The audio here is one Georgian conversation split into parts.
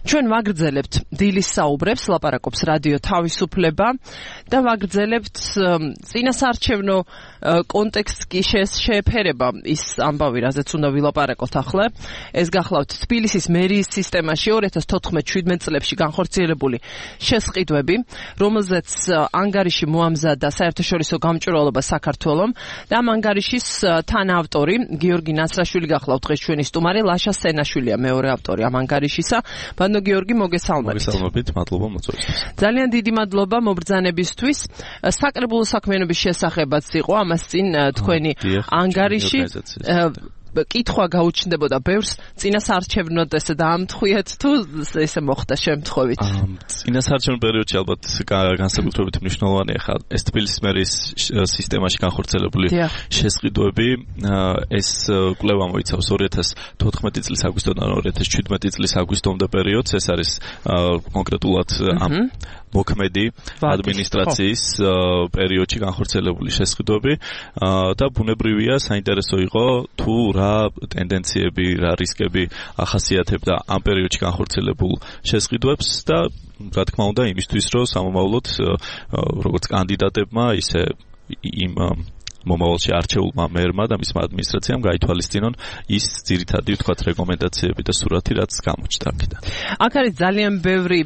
ჩვენ ვაგრძელებთ დილის საუბრებს, ლაპარაკობს რადიო თავისუფლება და ვაგრძელებთ წინასაარჩევნო კონტექსტს კი შეეფერება ის ამბავი, რაზეც უნდა ვილაპარაკოთ ახლა. ეს გახლავთ თბილისის მერიის სისტემაში 2014-17 წლებში განხორციელებული შესყიდვები, რომელზეც ანგარიში მოამზადა საერთაშორისო გამჭვირვალობა საქართველომ და ამ ანგარიშის თანაავტორი გიორგი ნასრაშვილი გახლავთ დღეს ჩვენი სტუმარი, ლაშა სენაშვილია მეორე ავტორი ამ ანგარიშისა. ბანო გიორგი, მოგესალმებით. მოგესალმებით, მადლობა მოწვევისთვის. ძალიან დიდი მადლობა მობრძანებისთვის. საკრებულო საქმიანობის შესახებაც იყო ამას წინ თქვენი ანგარიში. კითხვა გაუჩნდებოდა ბევრს, წინასაარჩევნოდ ესე დაამთხვიეთ თუ ესე მოხდა შემთხვევით? წინასაარჩევნო პერიოდში ალბათ განსაკუთრებით მნიშვნელოვანია ხა ეს თბილისის მერიის სისტემაში განხორციელებული შესყიდვები. ეს კვლევა მოიცავს 2014 წლის აგვისტოდან 2017 წლის აგვისტომდე პერიოდს. ეს არის კონკრეტულად ამ მოქმედი ადმინისტრაციის პერიოდში განხორციელებული შესყიდვები და ბუნებრივია საინტერესო იყო თუ რა ტენდენციები, რა რისკები ახასიათებდა ამ პერიოდში განხორციელებულ შესყიდვებს და რა თქმა უნდა იმისთვის რომ სამომავლოდ როგორც კანდიდატებმა ისე იმ მომავალში არჩეულმა მერმა და მისმა ადმინისტრაციამ გაითვალისწინონ ის ძირითადი ვთქვათ რეკომენდაციები და სურათი რაც გამოჩნდა აქედან. აქ არის ძალიან ბევრი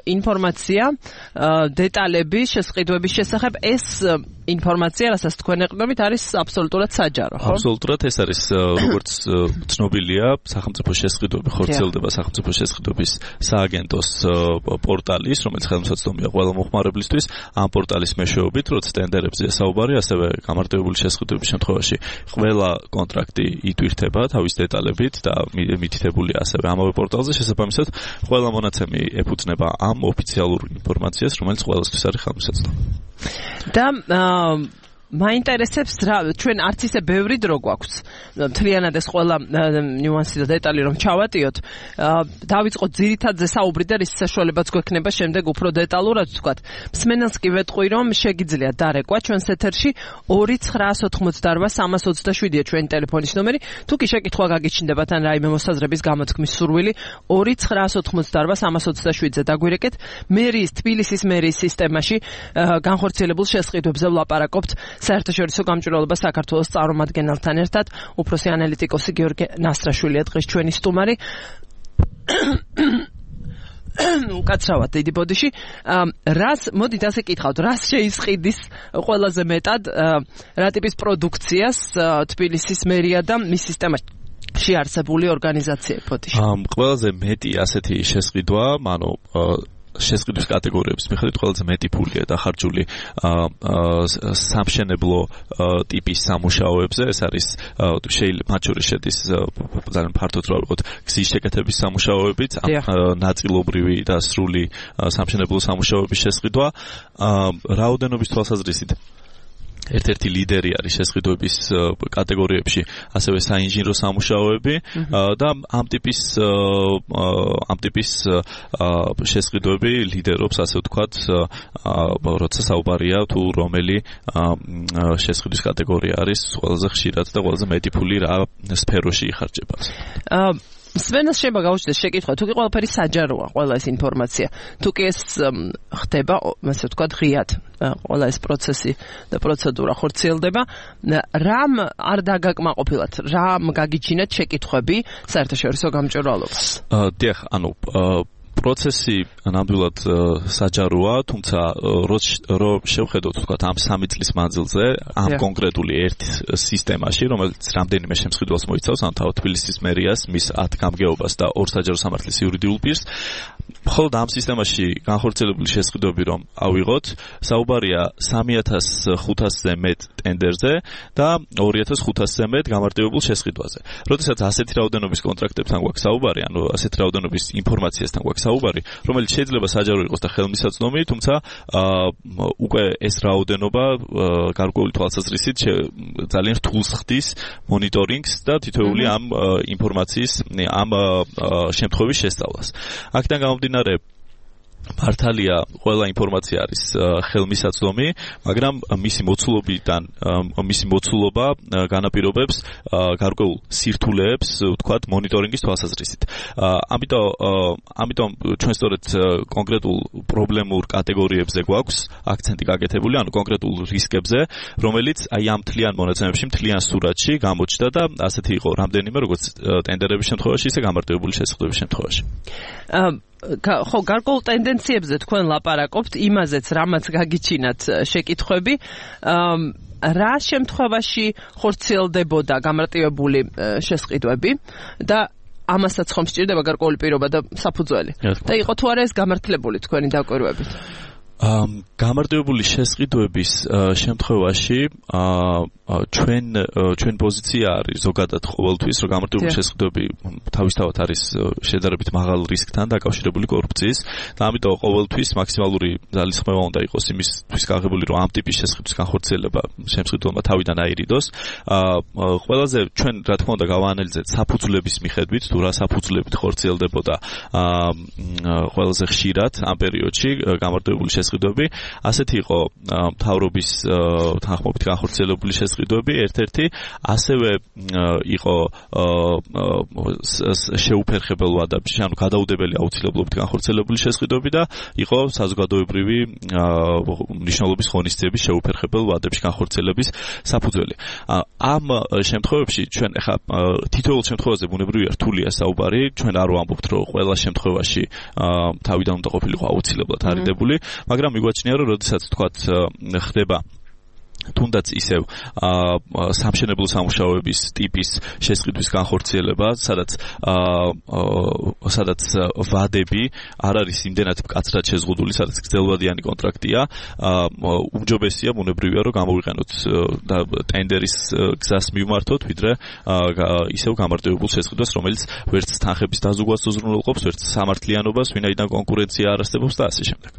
ინფორმაცია, დეტალები შესყიდვების შესახებ. ეს ინფორმაცია, რასაც თქვენ ეყრდნობით, არის აბსოლუტურად საჯარო, ხო? აბსოლუტურად ეს არის როგორც ცნობილია, სახელმწიფო შესყიდვები ხორციელდება სახელმწიფო შესყიდვების სააგენტოს პორტალის, რომელიც ხელმისაწვდომია ყველა მოხმარებლისთვის. ამ პორტალის მეშვეობით, როცა ტენდერებზე საუბარი, ასევე გამარტივებული შესყიდვების შემთხვევაში ყველა კონტრაქტი იტვირთება თავის დეტალებით და მითითებულია ასევე ამავე პორტალზე. შესაბამისად, ყველა მონაცემი ეფუძნება ამ ოფიციალურ ინფორმაციას, რომელიც ყველასთვის არის ხელმისაწვდომი. და მაინტერესებს რა ჩვენ არც ისე ბევრი დრო გვაქვს მთლიანად ეს ყველა ნიუანსი და დეტალი რომ ჩავატიოთ. დავიწყოთ ძირითადზე საუბრი და რის საშუალებაც გვექნება შემდეგ უფრო დეტალურად ვთქვათ. მსმენელს კი ვეტყვი რომ შეგიძლია დარეკვა ჩვენს ეთერში 2988327-ია ჩვენი ტელეფონის ნომერი. თუ კი შეკითხვა გაგიჩნდებათ ან რაიმე მოსაზრების გამოთქმის სურვილი 2988327-ზე დაგვირეკეთ. მერიის თბილისის მერიის სისტემაში განხორციელებულ შესყიდვებზე ვლაპარაკობთ საერთაშორისო გამჭვირვალობა საქართველოს წარმომადგენელთან ერთად. უფროსი ანალიტიკოსი გიორგი ნასრაშვილია დღეს ჩვენი სტუმარი. უკაცრავად დიდი ბოდიში. მოდით ასე კითხავთ, რას შეისყიდის ყველაზე მეტად რა ტიპის პროდუქციას თბილისის მერია და მის სისტემაში არსებული ორგანიზაციები ბოდიში? ყველაზე მეტი ასეთი შესყიდვა, ანუ შესყიდვის კატეგორიების მიხედვით ყველაზე მეტი ფულია დახარჯული სამშენებლო ტიპის სამუშაოებზე. ეს არის მათ შორის შედის ძალიან ფართოდ რა ვიყოთ გზის შეკეთების სამუშაოებიც, ნაწილობრივი და სრული სამშენებლო სამუშაოების შესყიდვა. რაოდენობის თვალსაზრისით ერთ-ერთი ლიდერი არის შესყიდვების კატეგორიებში, ასევე საინჟინრო სამუშაოები და ამ ტიპის შესყიდვები ლიდერობს, ასე ვთქვათ, როცა საუბარია თუ რომელი შესყიდვის კატეგორია არის ყველაზე ხშირად და ყველაზე მეტი ფული რა სფეროში იხარჯება. სვენას შეიძლება გაუჩნდეს შეკითხვა, თუ კი ყველაფერი საჯაროა, ყველა ეს ინფორმაცია, თუ კი ეს ხდება, ასე ვთქვათ, ღიად, ყველა ეს პროცესი და პროცედურა ხორციელდება, რამ არ დაგაკმაყოფილოთ, რამ გაგიჩინეთ შეკითხვები საერთაშორისო გამჭვირვალობას? დიახ, ანუ პროცესი ნამდვილად საჯაროა, თუმცა რო შევხედოთ ვთქვათ ამ 3 წლის მანძილზე, ამ კონკრეტული ერთ სისტემაში, რომელიც რამდენიმე შემსყიდველს მოიცავს, ანუ თავად თბილისის მერიას, მის 10 გამგეობას და 2 საჯარო სამართლის იურიდიულ პირს, მხოლოდ ამ სისტემაში განხორციელებული შესყიდვები რომ ავიღოთ, საუბარია 3500-ზე მეტ ტენდერზე და 2500-ზე მეტ გამარტივებულ შესყიდვაზე. როდესაც ასეთი რაოდენობის კონტრაქტებთან გვაქვს საუბარი, ანუ ასეთი რაოდენობის ინფორმაციასთან გვაქვს საუბარი, რომელიც შეიძლება საჯარო იყოს და ხელმისაწვდომი, თუმცა უკვე ეს რაოდენობა გარკვეული თვალსაზრისით ძალიან რთულს ხდის მონიტორინგს და თითოეული ამ ინფორმაციის ამ შემთხვევის შესწავლას. აქედან გამომდინარე მართალია ყველა ინფორმაცია არის ხელმისაწვდომი, მაგრამ მისი მოცულობა განაპირობებს გარკვეულ სირთულეებს, ვთქვათ, მონიტორინგის თვალსაზრისით. ამიტომ ჩვენ სწორედ კონკრეტულ პრობლემურ კატეგორიებზე გვაქვს აქცენტი გაკეთებული, ანუ კონკრეტულ რისკებზე, რომელიც აი ამ მთლიან მონაცემებში, მთლიან სურათში გამოჩნდა და ასეთი იყო რამდენიმე როგორც ტენდერების შემთხვევაში, ისე გამარტივებული შესაძლებლობის შემთხვევაში. ხო, გარკვეულ ტენდენციებზე თქვენ ლაპარაკობთ, იმაზეც რამაც გაგიჩინათ შეკითხვები, რა შემთხვევაში ხორციელდებოდა გამარტივებული შესყიდვები და ამასაც ხომ სჭირდება გარკვეული პირობა და საფუძველი. და იყო თუ არა ეს გამართლებული თქვენი დაკვირვებით? გამარტივებული შესყიდვების შემთხვევაში ჩვენ პოზიცია არის ზოგადად ყოველთვის, რომ გამარტივებული შესყიდვები თავისთავად არის შედარებით მაღალ რისკთან დაკავშირებული კორუფციის და ამიტომ ყოველთვის მაქსიმალური ძალისხმევა უნდა იყოს იმისთვის გაღებული, რომ ამ ტიპის შესყიდვის განხორციელება შემსყიდველმა თავიდან აირიდოს. ყველაზე ჩვენ რა თქმა უნდა გავაანალიზეთ საფუძვლების მიხედვით, თუ რა საფუძვლებით ხორციელდებოდა ყველაზე ხშირად ამ პერიოდში გამარტივებული შესყიდვები. ასეთი იყო მთავრობის თანხმობით განხორციელებული შესყიდვები ერთ-ერთი, ასევე იყო შეუფერხებელ ვადებში, ანუ გადაუდებელი აუცილებლობით განხორციელებული შესყიდვები და იყო საზოგადოებრივი მნიშვნელობის ღონისძიების შეუფერხებელ ვადებში განხორციელების საფუძველი. ამ შემთხვევებში ჩვენ ახლა თითოეულ შემთხვევაზე ბუნებრივია რთულია საუბარი, ჩვენ არ ვამბობთ, რომ ყველა შემთხვევაში თავიდან უნდა ყოფილიყო აუცილებლად არიდებული, მაგრამ მიგვაჩნია, რომ როდესაც თქვათ ხდება თუნდაც ისევ სამშენებლო სამუშაოების ტიპის შესყიდვის განხორციელება, სადაც ვადები არ არის იმდენად მკაცრად შეზღუდული, სადაც გრძელვადიანი კონტრაქტია, უმჯობესია ბუნებრივია, რომ გამოვიყენოთ და ტენდერის გზას მივმართოთ, ვიდრე ისევ გამარტივებულ შესყიდვას, რომელიც ვერც თანხების დაზუგვას უზრუნველყოფს, ვერც სამართლიანობას, ვინაიდან კონკურენცია არ არსებობს და ასე შემდეგ.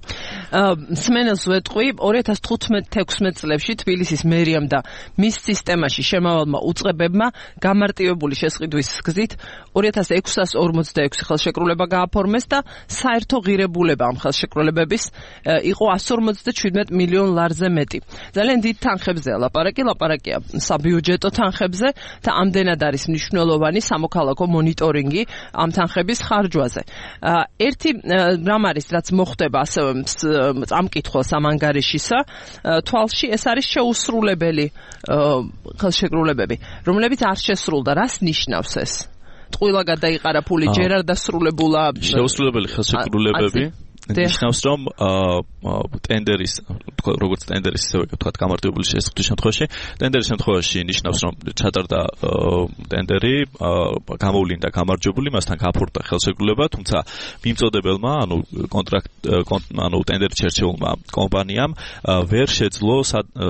სმენელს ვეტყვი 2015-16 წლებში თბილისის მერიამ და მის სისტემაში შემავალმა უწყებებმა გამარტივებული შესყიდვის გზით 2646 ხელშეკრულება გააფორმეს და საერთო ღირებულება ამ ხელშეკრულებების იყო 157 მილიონ ლარზე მეტი. ძალიან დიდ თანხებზე ლაპარაკია საბიუჯეტო თანხებზე და ამდენად არის მნიშვნელოვანი სამოქალაქო მონიტორინგი ამ თანხების ხარჯვაზე. ერთი რამ არის, რაც მოხდება ასევე ამ კითხვას ამ ანგარიშისა, თვალში ეს არის შეუსრულებელი ხელშეკრულებები, რომლებიც არ შესრულდა. რას ნიშნავს ეს? ტყუილა გადაიყარა ფული, ჯერ არ დასრულებულა შეუსრულებელი ხელშეკრულებები. ნიშნავს, რომ ტენდერის, როგორც ტენდერის ისევე ვთქვათ გამარტივებული შესყიდვის შემთხვევაში, ტენდერის შემთხვევაში ნიშნავს, რომ ჩატარდა ტენდერი, გამოვლინდა გამარჯვებული, მასთან გაფორდა ხელშეკრულება, თუმცა მიმწოდებელმა, ანუ ტენდერით შერჩეულმა კომპანიამ ვერ შეძლო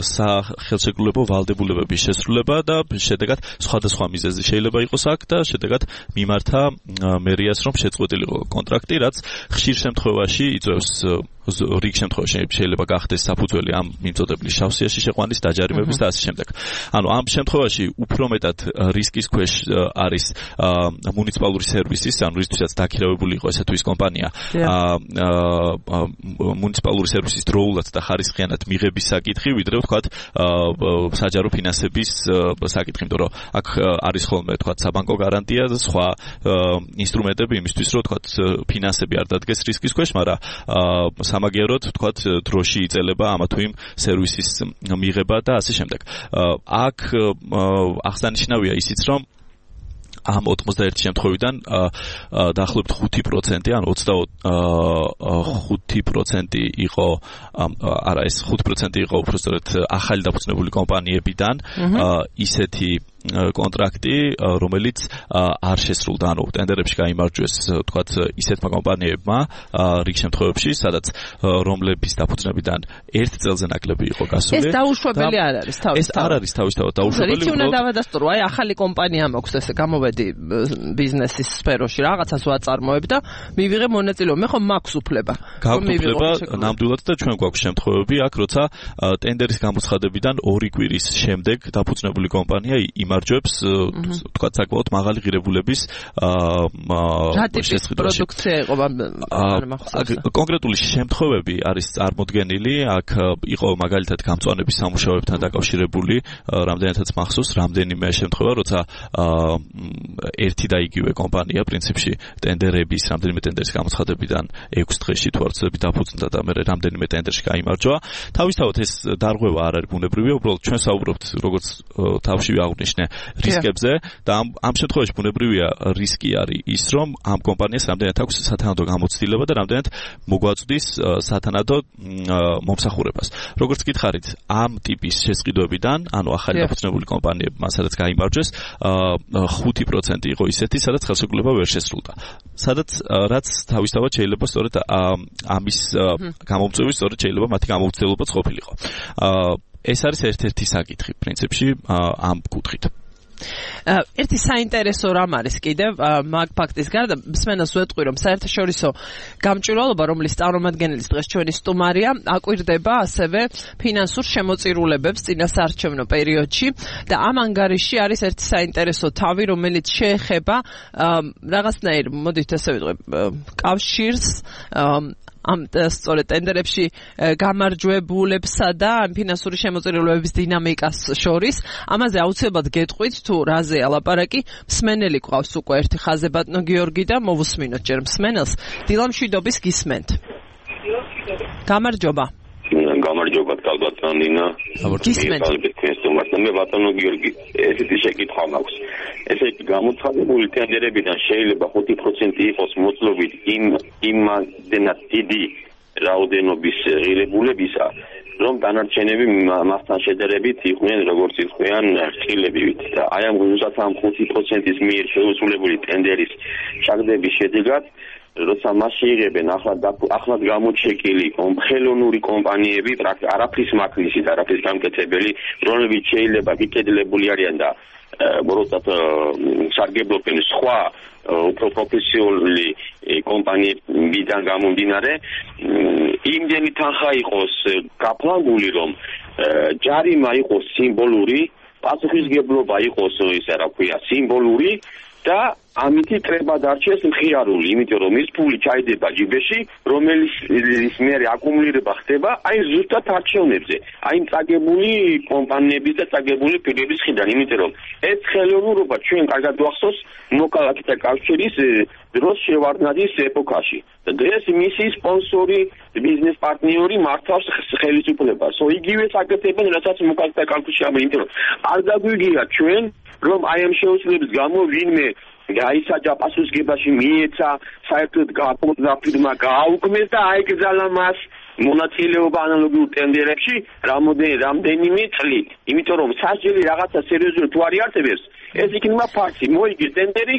სახელშეკრულებო ვალდებულებების შესრულება და შედეგად სხვადასხვა მიზეზი შეიძლება იყოს აქ და შედეგად მიმართა მერიას, რომ შეწყვეტილიყო კონტრაქტი, რაც ხშირ შემთხვევაში იწვევს რიგ შემთხვევაში შეიძლება გახდეს საფუძველი ამ მიმწოდებლის შავსიაში შეყვანის, დაჯარიმების და ასე შემდეგ. ანუ ამ შემთხვევაში უფრო მეტად რისკის ქვეშ არის მუნიციპალური სერვისის, ანუ რისთვისაც დაქირავებული იყო ესა თუ ის კომპანია, მუნიციპალური სერვისის დროულად და ხარისხიანად მიღების საკითხი, ვიდრე ვთქვათ საჯარო ფინანსების საკითხი, იმიტომ რომ აქ არის ხოლმე ვთქვათ საბანკო გარანტია და სხვა ინსტრუმენტები იმისთვის, რომ ვთქვათ ფინანსები არ დადგეს რისკის ქვეშ, მაგრამ სამაგიეროდ ვთქვათ დროში იწელება ამა თუ იმ სერვისის მიღება და ასე შემდეგ. აქ აღსანიშნავია ისიც, რომ ამ 91 შემთხვევიდან დაახლოებით 5%, ანუ 25% იყო, არა, ეს 5% იყო უბრალოდ ახალი დაფუძნებული კომპანიებიდან, ისეთი კონტრაქტი, რომელიც არ შესრულდა, ანუ ტენდერებში გაიმარჯვეს, ვთქვათ, ისეთმა კომპანიებმა რიგ შემთხვევებში, სადაც რომლების დაფუძნებიდან 1 წელზე ნაკლები იყო გასული. ეს დაუშვებელი არ არის თავისთავად. ეს არ არის თავისთავად დაუშვებელი. რითი უნდა დავადასტურო, აი ახალი კომპანია მაქვს, ესე გამოვედი ბიზნესის სფეროში, რაღაცას ვაწარმოებ და მივიღე მონაწილეობა. მე ხომ მაქვს უფლება. გაგვუფლება ნამდვილად და ჩვენ გვაქვს შემთხვევები აქ, როცა ტენდერის გამოცხადებიდან 2 კვირის შემდეგ დაფუძნებული კომპანია იმარჯვებს გაიმარჯვებს თქვა საკმაოდ მაღალი ღირებულების რა ტიპის პროდუქცია იყო კონკრეტული შემთხვევები არის წარმოდგენილი აქ იყო მაგალითად გამწვანების სამუშაოებთან დაკავშირებული რამდენადაც მახსოვს რამდენიმე შემთხვევა როცა ერთი და იგივე კომპანია პრინციპში ტენდერების რამდენიმე ტენდერის გამოცხადებიდან 6 დღეში თუ არ ვცდები დაფუძნდა და მე რამდენიმე ტენდერში გაიმარჯვა თავისთავად ეს დარღვევა არ არის ბუნებრივია უბრალოდ ჩვენ საუბრობთ როგორც თავშივე აღვნიშნე რისკებზე და ამ შემთხვევაში ბუნებრივია რისკი არის ის რომ ამ კომპანიას რამდენად აქვს სათანადო გამოცდილება და რამდენად მოგვაწვდის სათანადო მომსახურებას როგორც გითხარით ამ ტიპის შესყიდვებიდან ანუ ახალი დაფუძნებული კომპანიებმა სადაც გაიმარჯვეს 5% იყო ისეთი სადაც ხელშეკრულება ვერ შესრულდა სადაც რაც თავისთავად შეიძლება სწორედ ამის გამომწვევი სწორედ შეიძლება მათი გამომცდელობაც ყოფილიყო ეს არის ერთ-ერთი საკითხი პრინციპში ამ კუთხით ერთი საინტერესო რამ არის კიდევ მაგ ფაქტის გარდა მსმენელს ვეტყვი რომ საერთაშორისო გამჭვირვალობა რომლის წარმომადგენლის დღეს ჩვენი სტუმარია აკვირდება ასევე ფინანსურ შემოწირულებებს წინასაარჩევნო პერიოდში და ამ ანგარიში არის ერთი საინტერესო თავი რომელიც შეეხება რაღაცნაირ მოდით ასე ვიტყვი კავშირს ამ სწორედ ტენდერებში გამარჯვებულებსა და ამ ფინანსური შემოწირულობების დინამიკას შორის ამაზე აუცილებლად გეტყვით თუ რაზეა ლაპარაკი მსმენელი ყავს უკვე ერთი ხაზე ბატონო გიორგი და მოვუსმინოთ ჯერ მსმენელს დილამშვიდობის გისმენთ გამარჯობა გამარჯობა კალბატონ ნინა მე ბატონო გიორგი ესეთი შეკითხვა მაქვს ესე იგი გამოცხადებული ტენდერებიდან შეიძლება 5% იყოს მოწლობით იმდენად დიდი რაოდენობის ღირებულებისა რომ დანარჩენები მასთან შედარებით იყვნენ როგორც იყვნენ ხილებივით და აი ამ გულსაც ამ 5%-ის მიერ შეუსრულებული ტენდერის ჩაგდების შედეგად როცა მასში იღებენ ახლად გამოჩეკილი ხელოვნური კომპანიები არაფრის მაქნისით არაფრის გამკეთებელი რომლებიც შეიძლება გიკედლებული არიან და როდესაც სარგებლობენ სხვა უფრო პროფესიონალი კომპანიებიდან გამომდინარე იმდენი თანხა იყოს გაფლანგული რომ ჯარიმა იყოს სიმბოლური პასუხისგებლობა იყოს ისე რა ქვია სიმბოლური და ამითი კრება დარჩეს მხიარული, იმიტომ რომ ის ფული ჩაიდება ჯიბეში, რომელიც მერე აკუმულირება ხდება აი ზუსტად არჩევნებზე, აი წაგებული კომპანიების და წაგებული პირების მხრიდან, იმიტომ რომ ეს ხელოვნურობა ჩვენ კარგად ვახსოვს მოკალათთა კავშირის დროს შევარდნაძის ეპოქაში. და დღეს მისი სპონსორი, ბიზნეს პარტნიორი მართავს ხელისუფლებას. იგივე საკეთებენ, რასაც მოკალათთა კავშირში ამბობენ, იმიტომ რომ არ დაგვიგია ჩვენ რომ აი ამ შეუცვლელობის გამო ვინმე გაისაჯა პასუხისგებაში მიეცა საერთოდ გააკოტრა ფირმა გააუქმეს და აიკრძალა მას მონაწილეობა ანალოგიურ ტენდერებში რამდენიმე წლით. იმიტომ რომ სასჯელი რაღაცა სერიოზული თუ არ იარსებებს ეს იქნება ფაქტი. მოიგე ტენდერი,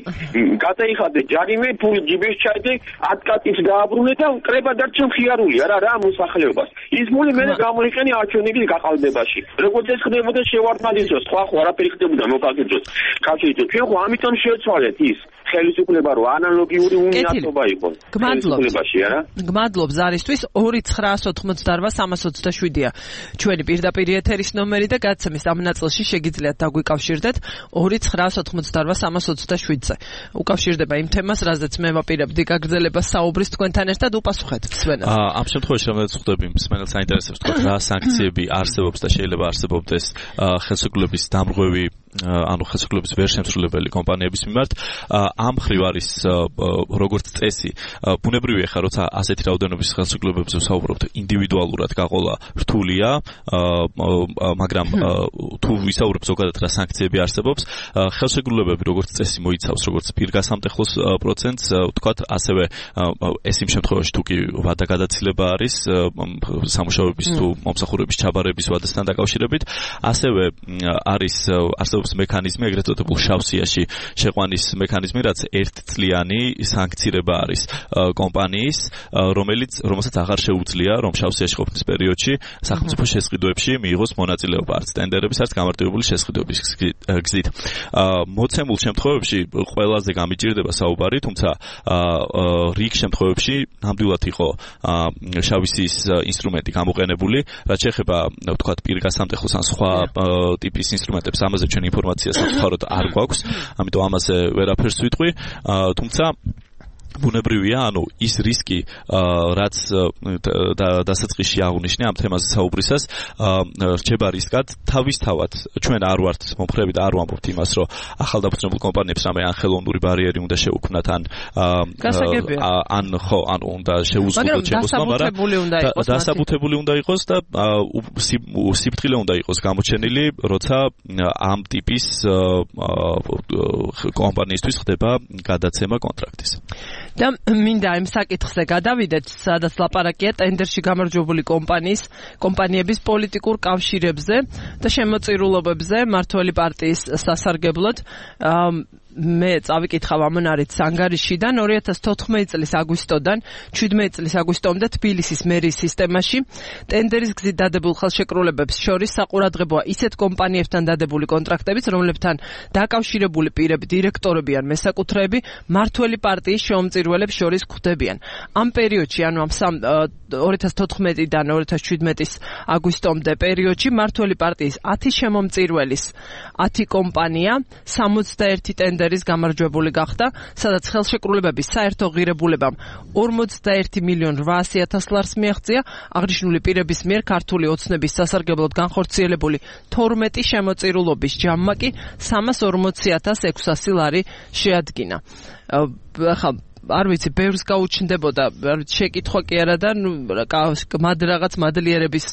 გადაიხადე ჯარიმე, ფული ჯიბეში ჩაიდე, 10 კატის გააბრუნე და კრება დარჩა მხიარული, არა რა მოსახლეობას. ის ფული მე გამოიყენე არჩევნების გაყალბებაში. როგორც ეს ხდებოდა შევარდნაძის დროს, სხვა არაფერი ხდებოდა მოკალათის დროს. კავშირით ჩვენ ხო ამიტომ შევცვალეთ ის ხელისუფლება რო ანალოგიური უნიატობა იყო. ხელისუფლებაში არა? გმადლობ ზარისთვის 2988327-ია ჩვენი პირდაპირ ეთერის ნომერი და გადაცემის ამ ნაწილში შეგიძლიათ დაგვიკავშირდეთ 2988327-ზე. უკავშირდება იმ თემას, რაზეც მე ვაპირებდი გაგრძელებას საუბრის თქვენთან ერთად უპასუხეთ მსმენელს. ამ შემთხვევაში რომელიც ხვდები მსმენელს საინტერესებს თქვა რა სანქციები არსებობს და შეიძლება არსებობდეს ხელშეკრულების დამრღვევი ანუ ხელშეკრულების ვერ შემსრულებელი კომპანიების მიმართ ამ მხრივ არის როგორც წესი ბუნებრივია ხა როცა ასეთი რაოდენობის ხელშეკრულებებზე ვსაუბრობთ ინდივიდუალურად გაყოლა რთულია მაგრამ თუ ვისაუბრებთ ზოგადად რა სანქციები არსებობს ხელშეკრულებები როგორც წესი მოიცავს როგორც პირგასამტეხლოს პროცენტს ვთქვათ ასევე ეს იმ შემთხვევაში თუ კი ვადა გადაცილება არის სამუშაოების თუ მომსახურების ჩაბარების ვადასთან დაკავშირებით ასევე არის არსებობს მექანიზმი ეგრეთ წოდებულ შავ სიაში შეყვანის მექანიზმი რაც ერთწლიანი სანქცირება არის კომპანიის რომელსაც აღარ შეუძლია რომ შავ სიაში ყოფნის პერიოდში სახელმწიფო შესყიდვებში მიიღოს მონაწილეობა არც ტენდერების არც გამარტივებული შესყიდვების გზით მოცემულ შემთხვევებში ყველაზე გამიჭირდება საუბარი თუმცა რიგ შემთხვევებში ნამდვილად იყო შავი სიის ინსტრუმენტი გამოყენებული რაც შეეხება ვთქვათ პირგასამტეხოს ან სხვა ტიპის ინსტრუმენტებს ამაზე ჩვენ ინფორმაცია სამწუხაროდ არ გვაქვს, ამიტომ ამაზე ვერაფერს ვიტყვი, თუმცა ბუნებრივია, ანუ ის რისკი, რაც დასაწყისში აღნიშნე ამ თემაზე საუბრისას, რჩება რისკად თავისთავად. ჩვენ არ ვართ მომხრები და არ ვამბობთ იმას, რომ ახალდაფუძნებულ კომპანიებს რამე ან ხელოვნური ბარიერი უნდა შეუქმნათ, ან უნდა შეუზღუდოთ შემოსვლა, მაგრამ დასაბუთებული უნდა იყოს და სიფრთხილე უნდა იყოს გამოჩენილი, როცა ამ ტიპის კომპანიისთვის ხდება გადაცემა კონტრაქტის. და მინდა იმ საკითხზე გადავიდეთ, სადაც ლაპარაკია ტენდერში გამარჯვებული კომპანიების პოლიტიკურ კავშირებზე და შემოწირულობებზე მმართველი პარტიის სასარგებლოდ. მე წავიკითხავ ამონარით ანგარიშიდან 2014 წლის აგვისტოდან 17 წლის აგვისტომდე თბილისის მერიის სისტემაში ტენდერის გზით დადებულ ხელშეკრულებებს შორის საყურადღებოა ისეთ კომპანიებთან დადებული კონტრაქტებიც, რომლებთან დაკავშირებული პირები, დირექტორები ან მესაკუთრეები მმართველი პარტიის შემომწირველებს შორის გვხვდებიან. ამ პერიოდში, ანუ ამ 2014-დან 2017-ის აგვისტომდე პერიოდში მმართველი პარტიის 10 შემომწირველის 10 კომპანია 61 ტენდერი გამარჯვებული გახდა, სადაც ხელშეკრულებების საერთო ღირებულებამ 41,800,000 ლარს მიაღწია, აღნიშნული პირების მიერ ქართული ოცნების სასარგებლოდ განხორციელებული 12 შემოწირულობის ჯამმა კი 340,600 ლარი შეადგინა. არ ვიცი, ბევრს გაუჩნდებოდა შეკითხვა კი არა და რაღაც მადლიერების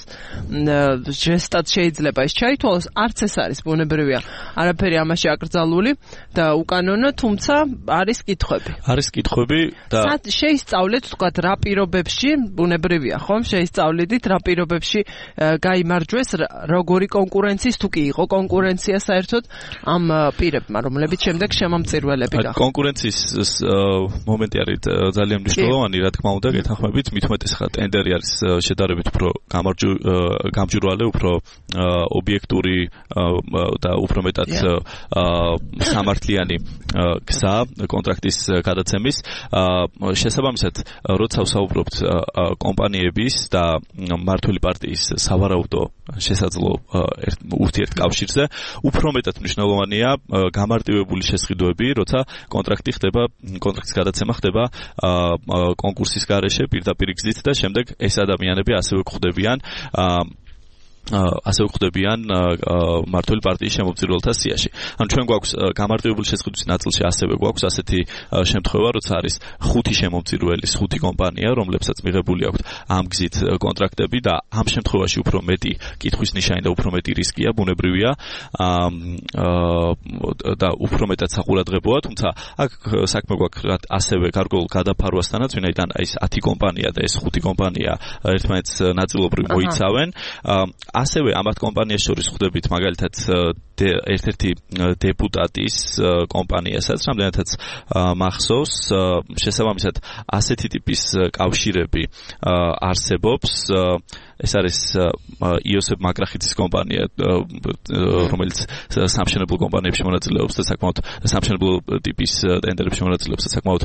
ჟესტად შეიძლება ეს ჩაითვალოს, არც ეს არის ბუნებრივია. არაფერი ამაში აკრძალული და უკანონო, თუმცა არის კითხვები. არის კითხვები და შეისწავლეთ, თქვათ, რა პირობებში, ბუნებრივია, ხომ? შეისწავლიდით რა პირობებში გაიმარჯვეს, როგორი კონკურენციის, თუ კი იყო კონკურენცია საერთოდ ამ პირებმა, რომლებიც შემდეგ შემომწირველები გახდნენ. კონკურენციის მომენტი არის ძალიან მნიშვნელოვანი, რა თქმა უნდა, გეთანხმებით, მით უმეტეს ხა ტენდერი არის შედარებით უფრო გამჭვირვალე, უფრო ობიექტური და უფრო მეტად სამართლიანი გზა კონტრაქტის გადაცემის. შესაბამისად, როცა ვსაუბრობთ კომპანიების და მმართველი პარტიის სავარაუდო შესაძლო ურთიერთკავშირზე, უფრო მეტად მნიშვნელოვანია გამარტივებული შესყიდვები, როცა კონტრაქტის გადაცემა ხდება კონკურსის გარეშე პირდაპირ გზით და შემდეგ ეს ადამიანები ასევე გვხვდებიან მმართველი პარტიის შემომწირველთა სიაში. ანუ ჩვენ გვაქვს გამარტივებული შესყიდვის ნაწილში ასევე გვაქვს ასეთი შემთხვევა, როცა არის 5 შემომწირველის 5 კომპანია, რომლებსაც მიღებული აქვთ ამ გზით კონტრაქტები და ამ შემთხვევაში უფრო მეტი კითხვის ნიშანი და უფრო მეტი რისკია, ბუნებრივია და უფრო მეტად საყურადღებოა, თუმცა აქ საქმე გვაქვს ასევე გარკვეულ გადაფარვასთანაც, ვინაიდან ეს 10 კომპანია და ეს 5 კომპანია ერთმანეთს ნაწილობრივ მოიცავენ. ასევე ამათ კომპანიას შორის ხვდებით მაგალითად ერთ-ერთი დეპუტატის კომპანიასაც, რამდენადაც მახსოვს, შესაბამისად ასეთი ტიპის კავშირები არსებობს. ეს არის იოსებ მაკრახიძის კომპანია, რომელიც სამშენებლო კომპანიებში მონაწილეობს და საკმაოდ სამშენებლო ტიპის ტენდერებში მონაწილეობს და საკმაოდ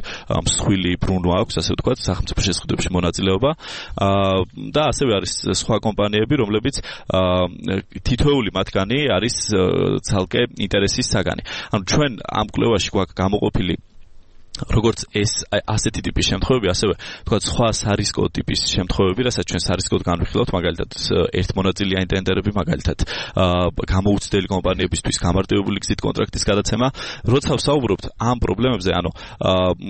მსხვილი ბრუნვა აქვს, ასე ვთქვათ, სახელმწიფო შესყიდვებში მონაწილეობა. და ასევე არის სხვა კომპანიები, რომლებიც თითოეული მათგანი არის ცალკე ინტერესის საგანი. ანუ ჩვენ ამ კვლევაში გვაქვს გამოყოფილი როგორც ეს ასეთი ტიპის შემთხვევები, ასევე თქვათ სხვა სარისკო ტიპის შემთხვევები, რასაც ჩვენ სარისკოდ განვიხილავთ, მაგალითად ერთმონაწილიანი ტენდერები, მაგალითად გამოუცდელი კომპანიებისთვის გამარტივებული გზით კონტრაქტის გადაცემა. როცა ვსაუბრობთ ამ პრობლემებზე, ანუ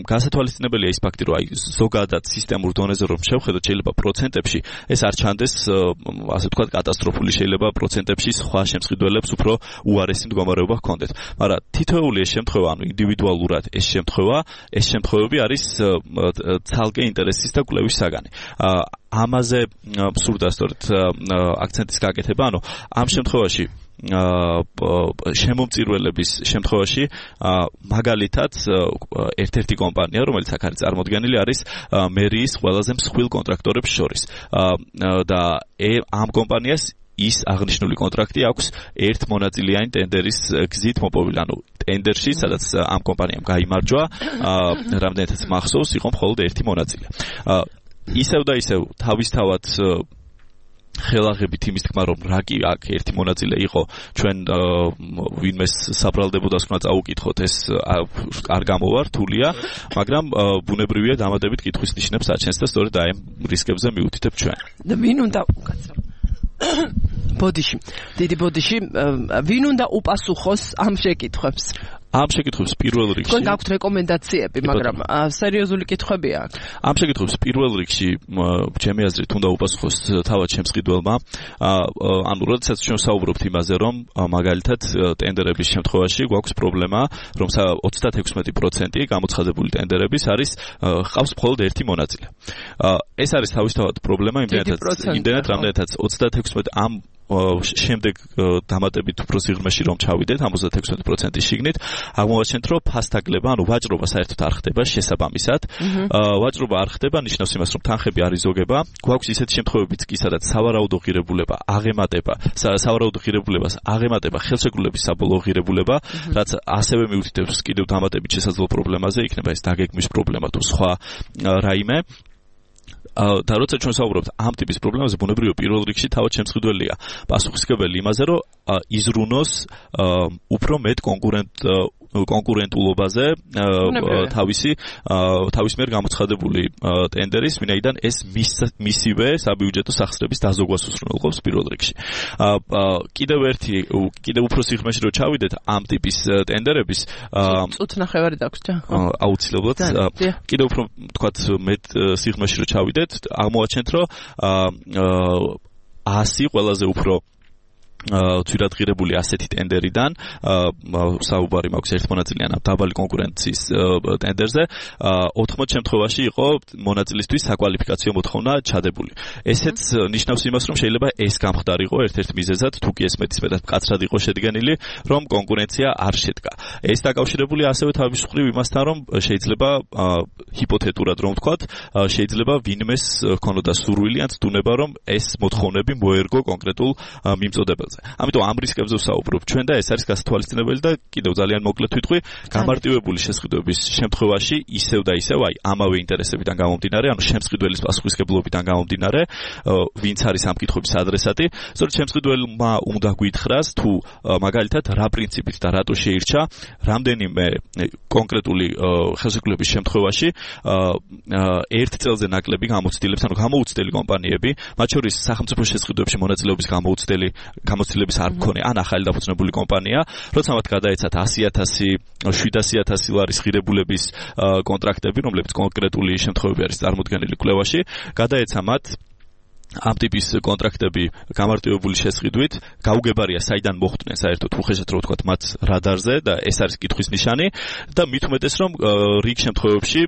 გასათვალისწინებელია ის ფაქტი, რომ აი ზოგადად სისტემურ დონეზე რომ შევხედოთ, შეიძლება პროცენტებში ეს არ ჩანდეს, ასე ვთქვათ, კატასტროფული, შეიძლება პროცენტებში სხვა შემსყიდველებს უფრო უარესი მდგომარეობა ჰქონდეთ. მაგრამ თითოეული ეს შემთხვევა, ანუ ინდივიდუალურად ეს შემთხვევები არის ცალკე ინტერესის და კვლევის საგანი. ამაზე სურდა სწორედ აქცენტის გაკეთება, ანუ ამ შემთხვევაში შემომწირველების შემთხვევაში მაგალითად ერთ-ერთი კომპანია, რომელიც აქ არის წარმოდგენილი, არის მერიის ყველაზე მსხვილ კონტრაქტორებს შორის და ამ კომპანიას ის აღნიშნული კონტრაქტი აქვს ერთ მონაწილიანი ტენდერის გზით მოპოვილი, ანუ ტენდერში, სადაც ამ კომპანიამ გაიმარჯვა, რამდენადაც მახსოვს, იყო მხოლოდ ერთი მონაწილე. ისევ და ისევ თავისთავად ხელაღებით იმის თქმა რომ რა კი აქ ერთი მონაწილე იყო ჩვენ ვინმეს საბრალდებოდა თქვა წაუკითხოთ ეს არ გამოვა რთულია მაგრამ ბუნებრივია დამატებით კითხვის ნიშნებს აჩენს და სწორედ აი ამ რისკებზე მივუთითებ ჩვენ და ვინ უნდა ბოდიში დიდი ბოდიში ვინ უნდა უპასუხოს ამ შეკითხვებს ამ შეკითხვებს პირველ რიგში თქვენ გაქვთ რეკომენდაციები, მაგრამ სერიოზული კითხვებია აქ. ამ შეკითხვებს პირველ რიგში ჩემი აზრით უნდა უპასუხოს თავად ჩემს მყიდველმა. ანუ როდესაც ჩვენ საუბრობთ იმაზე, რომ მაგალითად ტენდერების შემთხვევაში გვაქვს პრობლემა, რომ 36% გამოცხადებული ტენდერების არის ყავს მხოლოდ ერთი მონაწილე. ეს არის თავისთავად პრობლემა იმდენად რამდენადაც 36 ამ შემდეგ დამატებით უფრო სიღრმეში რომ ჩავიდეთ 56% შიგნით აღმოვაჩენთ რომ ფასტაკლება ანუ ვაჭრობა საერთოდ არ ხდება შესაბამისად ვაჭრობა არ ხდება ნიშნავს იმას რომ თანხები არ იზოგება გვაქვს ისეთი შემთხვევებიც კი სადაც სავარაუდო ღირებულება აღემატება სავარაუდო ღირებულებას აღემატება ხელშეკრულების საბოლოო ღირებულება რაც ასევე მიუთითებს კიდევ დამატებით შესაძლო პრობლემაზე იქნება ეს დაგეგმვის პრობლემა თუ სხვა რაიმე და როცა ჩვენ საუბრობთ ამ ტიპის პრობლემაზე ბუნებრივია პირველ რიგში თავად შემსყიდველია პასუხისმგებელი იმაზე რომ იზრუნოს უფრო მეტ კონკურენტულობაზე თავის მიერ გამოცხადებული ტენდერის ვინაიდან ეს მისივე საბიუჯეტო სახსრების დაზოგვას უსრულყოფს პირველ რიგში კიდევ უფრო სიღრმეში რო ჩავიდეთ ამ ტიპის ტენდერების წუთ ნახევარი დაგვრჩა აუცილებლად კიდევ უფრო თქვათ მეტ სიღრმეში რო ჩავიდეთ აღმოვაჩენთ რომ 100 ყველაზე უფრო თვირადღირებული ასეთი ტენდერიდან საუბარი მაქვს ერთმონაწილეან დაბალი კონკურენციის ტენდერზე 80 შემთხვევაში იყო მონაწილისთვის საკვალიფიკაციო მოთხოვნა ჩადებული. ესეც ნიშნავს იმას, რომ შეიძლება ეს გამხდარიყო ერთ-ერთ მიზეზად, თუ კი ეს მეტისმეტად მკაცრად იყო შედგენილი, რომ კონკურენცია არ შედგა. ეს დაკავშირებული ასევე თავის მხრივ იმასთან, რომ შეიძლება ჰიპოთეტურად რომ ვთქვათ, შეიძლება ვინმეს ჰქონოდა სურვილი ან ცდუნება, რომ ეს მოთხოვნები მოერგო კონკრეტულ მიმწოდებელს. ამიტომ ამ რისკებზე ვსაუბრობ ჩვენ და ეს არის გასათვალისწინებელი და კიდევ ძალიან მოკლედ ვიტყვი გამარტივებული შესყიდვების შემთხვევაში ისევ და ისევ აი ამავე ინტერესებიდან გამომდინარე ანუ შემსყიდველის პასუხისმგებლობიდან გამომდინარე ვინც არის ამ კითხვების ადრესატი სწორედ შემსყიდველმა უნდა გითხრას თუ მაგალითად რა პრინციპით და რატო შეირჩა რამდენიმე კონკრეტული ხელშეკრულების შემთხვევაში ერთ წელზე ნაკლები გამოცდილებს ანუ გამოუცდელი კომპანიები მათ შორის სახელმწიფო შესყიდვებში მონაწილეობის გამოცდილების არ მქონე ან ახალი დაფუძნებული კომპანია, როცა მათ გადაეცათ 100,000, 700,000 ლარის ღირებულების კონტრაქტები, რომლებიც კონკრეტული შემთხვევები არის წარმოდგენილი კვლევაში, გადაეცა მათ ამ ტიპის კონტრაქტები გამარტივებული შესყიდვით გაუგებარია საიდან მოხვდნენ საერთოდ უხეშად რო ვთქვათ მათ რადარზე და ეს არის კითხვის ნიშანი და მით უმეტეს რომ რიგ შემთხვევებში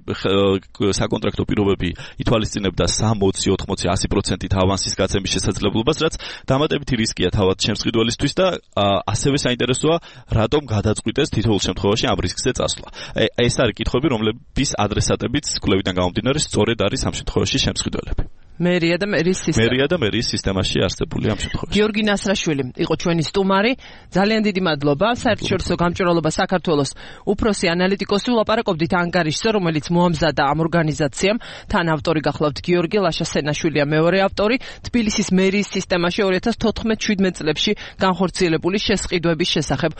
საკონტრაქტო პირობები ითვალისწინებდა 60, 80, 100%-ით ავანსის გაცემის შესაძლებლობას, რაც დამატებითი რისკია თავად შემსყიდველისთვის და ასევე საინტერესოა რატომ გადაწყვიტეს თითოეულ შემთხვევაში ამ რისკზე წასვლა. ეს არის კითხვები, რომლების ადრესატებიც კვლევიდან გამომდინარე სწორედ არის ამ შემთხვევაში შემსყიდველები. მერია და მერის სისტემაში არსებული ამ შემთხვევაში. გიორგი ნასრაშვილი იყო ჩვენი სტუმარი. ძალიან დიდი მადლობა. საერთაშორისო გამჭვირვალობა საქართველოს უფროსი ანალიტიკოსი ვლაპარაკობდით ანგარიშზე, რომელიც მოამზადა ამ ორგანიზაციამ. თან ავტორი გახლავთ გიორგი ლაშა-სენაშვილია მეორე ავტორი. თბილისის მერიის სისტემაში 2014-17 წლებში განხორციელებული შესყიდვების შესახებ